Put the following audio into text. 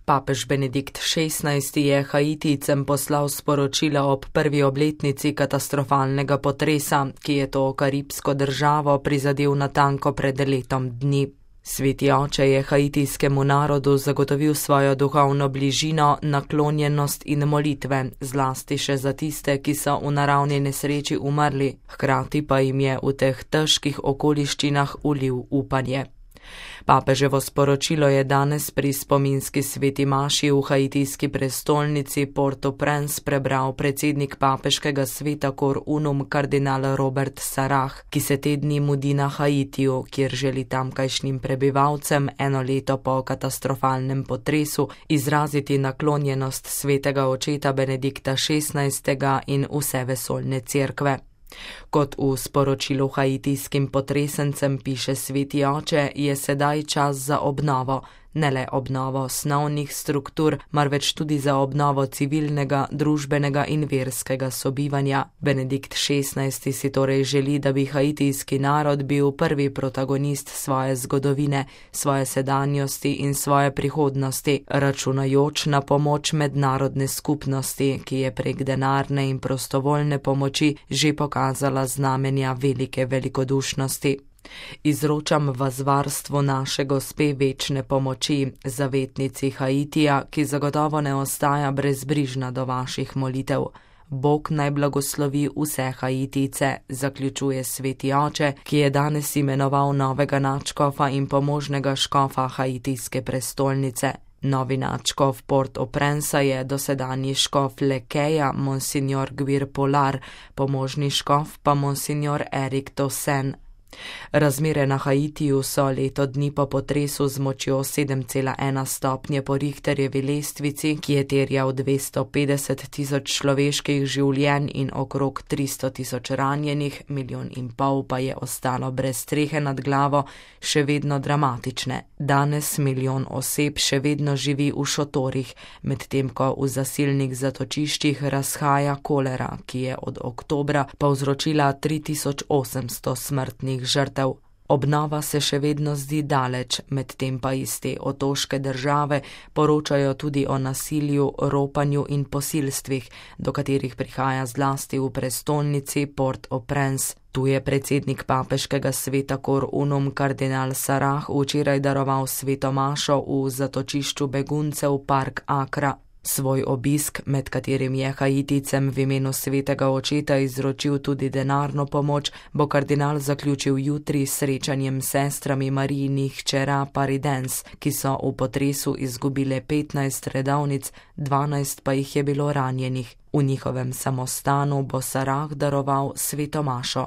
Papež Benedikt XVI je Haitijcem poslal sporočila ob prvi obletnici katastrofalnega potresa, ki je to karibsko državo prizadel natanko pred letom dni. Sveti oče je haitijskemu narodu zagotovil svojo duhovno bližino, naklonjenost in molitve, zlasti še za tiste, ki so v naravni nesreči umrli, hkrati pa jim je v teh težkih okoliščinah ulil upanje. Papeževo sporočilo je danes pri spominski sveti maši v haitijski prestolnici Port-au-Prince prebral predsednik papeškega sveta Cor Unum kardinal Robert Sarah, ki se te dni mudi na Haitiju, kjer želi tamkajšnjim prebivalcem eno leto po katastrofalnem potresu izraziti naklonjenost svetega očeta Benedikta XVI. In vse vesoljne cerkve. Kot v sporočilu haitijskim potresencem piše sveti oče, je sedaj čas za obnovo, ne le obnovo osnovnih struktur, marveč tudi za obnovo civilnega, družbenega in verskega sobivanja. Benedikt XVI. Si torej želi, da bi haitijski narod bil prvi protagonist svoje zgodovine, svoje sedanjosti in svoje prihodnosti, računajoč na pomoč mednarodne skupnosti, ki je prek denarne in prostovoljne pomoči že pokazala znamenja velike velikodušnosti. Izročam vas varstvo naše Gospe večne pomoči, zavetnici Haitija, ki zagotovo ne ostaja brezbrižna do vaših molitev. Bog naj blagoslovi vse Haitijce, zaključuje sveti oče, ki je danes imenoval novega nadškofa in pomožnega škofa haitijske prestolnice. Novi nadškof Port-au-Prince je dosedanji škof Lekeja, monsignor Guir Polar, pomožni škof pa monsignor Erik Tosen. Razmere na Haitiju so leto dni po potresu z močjo 7,1 stopnje po Richterjevi lestvici, ki je terjal 250 tisoč človeških življenj in okrog 300 tisoč ranjenih, 1,5 milijona pa je ostalo brez strehe nad glavo, še vedno dramatične. Danes 1 milijon oseb še vedno živi v šotorih, medtem ko v zasilnih zatočiščih razhaja kolera, ki je od oktobra povzročila 3800 smrtnih žrtev. Obnova se še vedno zdi daleč, medtem pa iz te otoške države poročajo tudi o nasilju, ropanju in posilstvih, do katerih prihaja zlasti v prestolnici Port-au-Prince. Tu je predsednik papeškega sveta Cor Unum kardinal Sarah včeraj daroval sveto mašo v zatočišču beguncev Park Akra. Svoj obisk, med katerim je Haitijcem v imenu svetega očeta izročil tudi denarno pomoč, bo kardinal zaključil jutri s srečanjem s sestrami Marijinih hčera Paridens, ki so v potresu izgubile 15 redovnic, 12 pa jih je bilo ranjenih. V njihovem samostanu bo Sarah daroval sveto mašo.